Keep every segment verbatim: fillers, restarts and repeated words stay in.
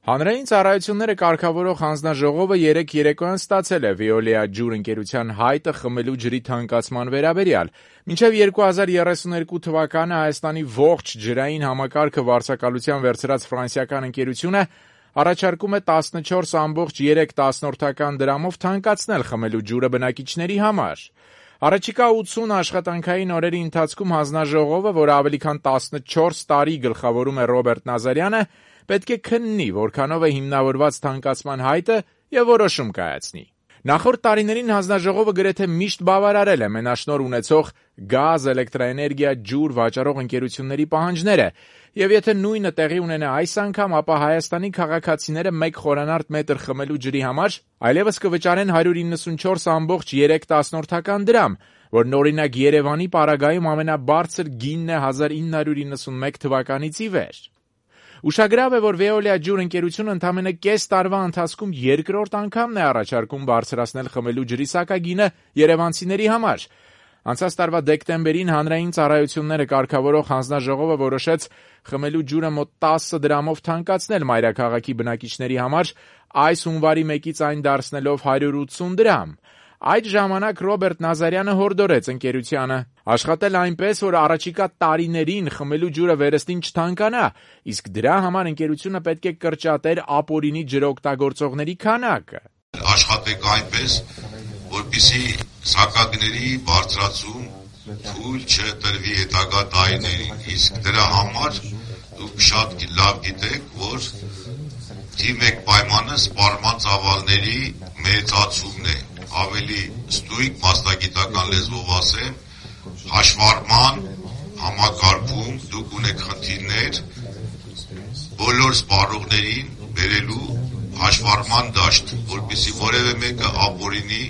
Հանրային ծառայությունները կարգավորող հանձնաժողովը երեկ երեկոյան ստացել է Veolia ջուր ընկերության հայտը խմելու ջրի թանկացման վերաբերյալ։ Մինչև երկու հազար երեսուներկու թվականը Հայաստանի ողջ ջրային համակարգը վարձակալության վերցրած ֆրանսիական ընկերությունը առաջարկում է տասնչորս կόμma երեք դրամով թանկացնել խմելու ջուրը բնակիչների համար։ Առաջիկա ութսուն աշխատանքային օրերի ընթացքում հանձնաժողովը, որը ավելի քան տասնչորս տարի գլխավորում է Ռոբերտ Նազարյանը, պետք է քննի, որքանով է հիմնավորված թանկացման հայտը եւ որոշում կայացնի։ Նախորդ տարիներին հանձնաժողովը գրեթե միշտ բավարարել է մենաշնորհ ունեցող գազ, էլեկտրաէներգիա, ջուր վաճառող ընկերությունների պահանջները, եւ եթե նույնը տեղի ունենա այս անգամ, ապա Հայաստանի քաղաքացիները մեկ խորանարդ մետր խմելու ջրի համար այլևս կվճարեն հարյուր իննսունչորս կόμma երեք դրամ, որն օրինակ Երևանի պարագայում ամենաբարձր գինն է հազար ինը հարյուր իննսունմեկ թվականից ի վեր։ Ուշագրավ է, որ Veolia ջուր ընկերությունը ընդամենը կես տարվա ընթացքում երկրորդ անգամն է առաջարկում բարձրացնել խմելու ջրի սակագինը երևանցիների համար։ Անցած տարվա դեկտեմբերին հանրային ծառայությունները կարգավորող հանձնաժողովը որոշեց խմելու ջուրը մոտ տասը դրամով թանկացնել մայրաքաղաքի բնակիչների համար, այս հունվարի մեկից այն դարձնելով հարյուր ութսուն դրամ։ Այդ ժամանակ Ռոբերտ Նազարյանը հորդորեց ընկերությանը աշխատել այնպես, որ առաջիկա տարիներին խմելու ջուրը վերստին չթանկանա, իսկ դրա համար ընկերությունը պետք է կրճատեր ապօրինի ջրօգտագործողների քանակը։ Աշխատեք այնպես, որպեսզի սակագների բարձրացում թույլ չտրվի հետագա տարիներին, իսկ դրա համար դուք շատ լավ գիտեք, որ թիվ մեկ պայմանը սպառման ծավալների մեծացումն է, ավելի ստույգ մասնագիտական լեզվով ասեմ, հաշվառման համակարգում դուք ունեք խնդիրներ բոլոր սպառողներին բերելու հաշվառման դաշտ, որպեսզի որևէ մեկը ապօրինի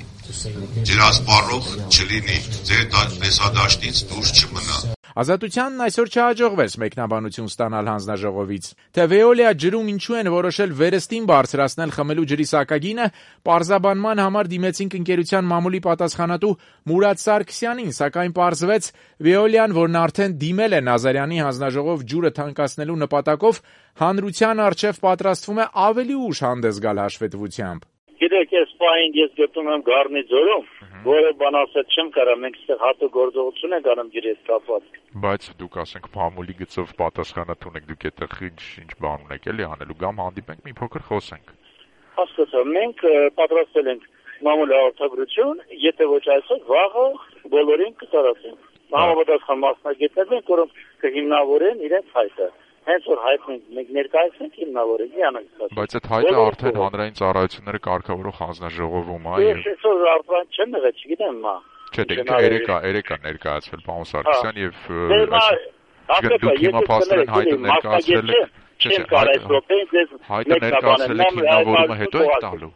ջրասպառող չլինի, ձեր տեսադաշտից դուրս չմնա։ Ազատությանն այսօր չհաջողվեց մեկնաբանություն ստանալ հանձնաժողովից։ Թե Veolia ջրում ինչու են որոշել վերստին բարձրացնել խմելու ջրի սակագինը, պարզաբանման համար դիմեցինք ընկերության մամուլի պատասխանատու Մուրադ Սարգսյանին, սակայն պարզվեց Veolia-ն, որն արդեն դիմել է Նազարյանի հանձնաժողով ջուրը թանկացնելու նպատակով, հանրության առջև պատրաստվում է ավելի ուշ հանդես գալ հաշվետվությամբ։ Գիտեք, ես պահին ես գտնում եմ Գառնի ձորում, որը բան ասել չեմ կարա, մենք այստեղ հատու գործողություն ենք անում ջրի հետ կապված։ Բայց դուք ասենք փամուլի գծով պատասխանատու եք, դուք այդտեղ ինչ բան ունեք էլի անելու, կամ հանդիպենք մի փոքր խոսենք։ Հասկացա, մենք պատրաստել ենք մամուլի հաղորդագրություն, եթե ոչ այսօր, վաղը բոլորին կտարածենք։ Համապատասխան մասնագետներ են, որոնք կհիմնավորեն իրենց հայտը։ Հենց որ հայտնենք մենք ներկայացնենք հիմնավորենք իանանք։ Բայց այդ հայտը արդեն հանրային ծառայությունները կարգավորող հանձնաժողովում է։ Ես այսօր արդեն չեմ եղել, չգիտեմ մա։ Չէ, դե երեկա, երեկա ներկայացվել պարոն Սարգսյան եւ դուք հիմա փաստորեն հայտը ներկայացրել եք։ Չէ, հայտը ներկայացրել եք հիմնավորումը հետո եք տալու։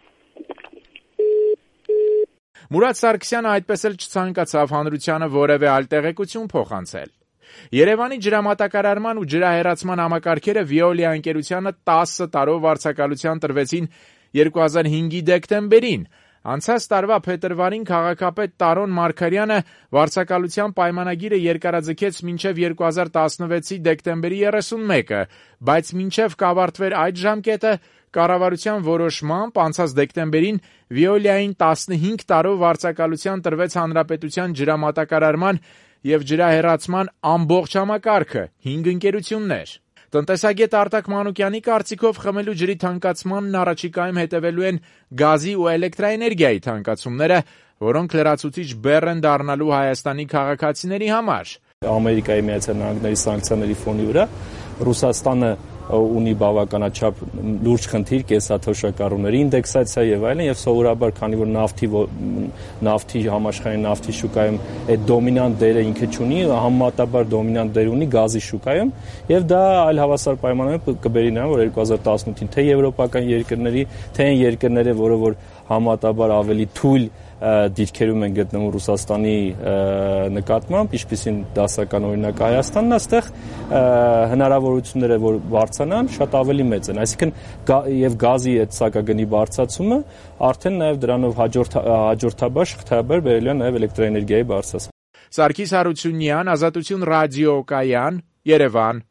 Մուրադ Սարգսյանը այդպես էլ չցանկացավ հանրությանը որևէ այլ տեղեկություն փոխանցել։ Երևանի ջրամատակարարման ու ջրահեռացման համակարգերը Veolia ընկերությանը տասը տարով վարձակալության տրվեցին երկու հազար հինգի դեկտեմբերին։ Անցած տարվա փետրվարին քաղաքապետ Տարոն Մարգարյանը վարձակալության պայմանագիրը երկարաձգեց մինչև երկու հազար տասնվեցի դեկտեմբերի երեսունմեկը, բայց մինչև կավարտվեր այդ ժամկետը, կառավարության որոշմամբ անցած դեկտեմբերին Veolia-ին տասնհինգ տարով վարձակալության տրվեց հանրապետության ջրամատակարարման եւ ջրահեռացման ամբողջ համակարգը, հինգ ընկերություններ։ Տնտեսագետ Արտակ Մանուկյանի կարծիքով խմելու ջրի թանկացմանն առաջիկայում հետևելու են գազի ու էլեկտրաէներգիայի թանկացումները, որոնք լրացուցիչ բեռ են դառնալու Հայաստանի քաղաքացիների համար։ Ամերիկայի Միացյալ Նահանգների սանկցիաների ֆոնի վրա Ռուսաստանը ունի բավականաչափ լուրջ խնդիր կենսաթոշակառուների ինդեքսացիա եւ այլն, եւ սովորաբար քանի որ նավթի նավթի համաշխարհային նավթի շուկայում այդ դոմինանտ դերը ինքը չունի, համեմատաբար դոմինանտ դեր ունի գազի շուկայում, եւ դա այլ հավասար պայմաններում կբերի նրան, որ երկու հազար տասնութին թե եվրոպական երկրների, թե այն երկրները, որը որ համեմատաբար ավելի թույլ դիրքերում են գտնվում Ռուսաստանի նկատմամբ, ինչպիսին դասական օրինակ Հայաստանն, այստեղ հնարավորությունները որ բարձրանան շատ ավելի մեծ են, այսինքն եւ գազի այդ սակագնի բարձրացումը արդեն նաեւ դրանով հաջորդ հաջորդաբար շղթայաբար բերելու է նաեւ էլեկտրաէներգիայի բարձրացում։ Սարգիս Հարությունյան, Ազատություն ռադիոկայան, Երևան։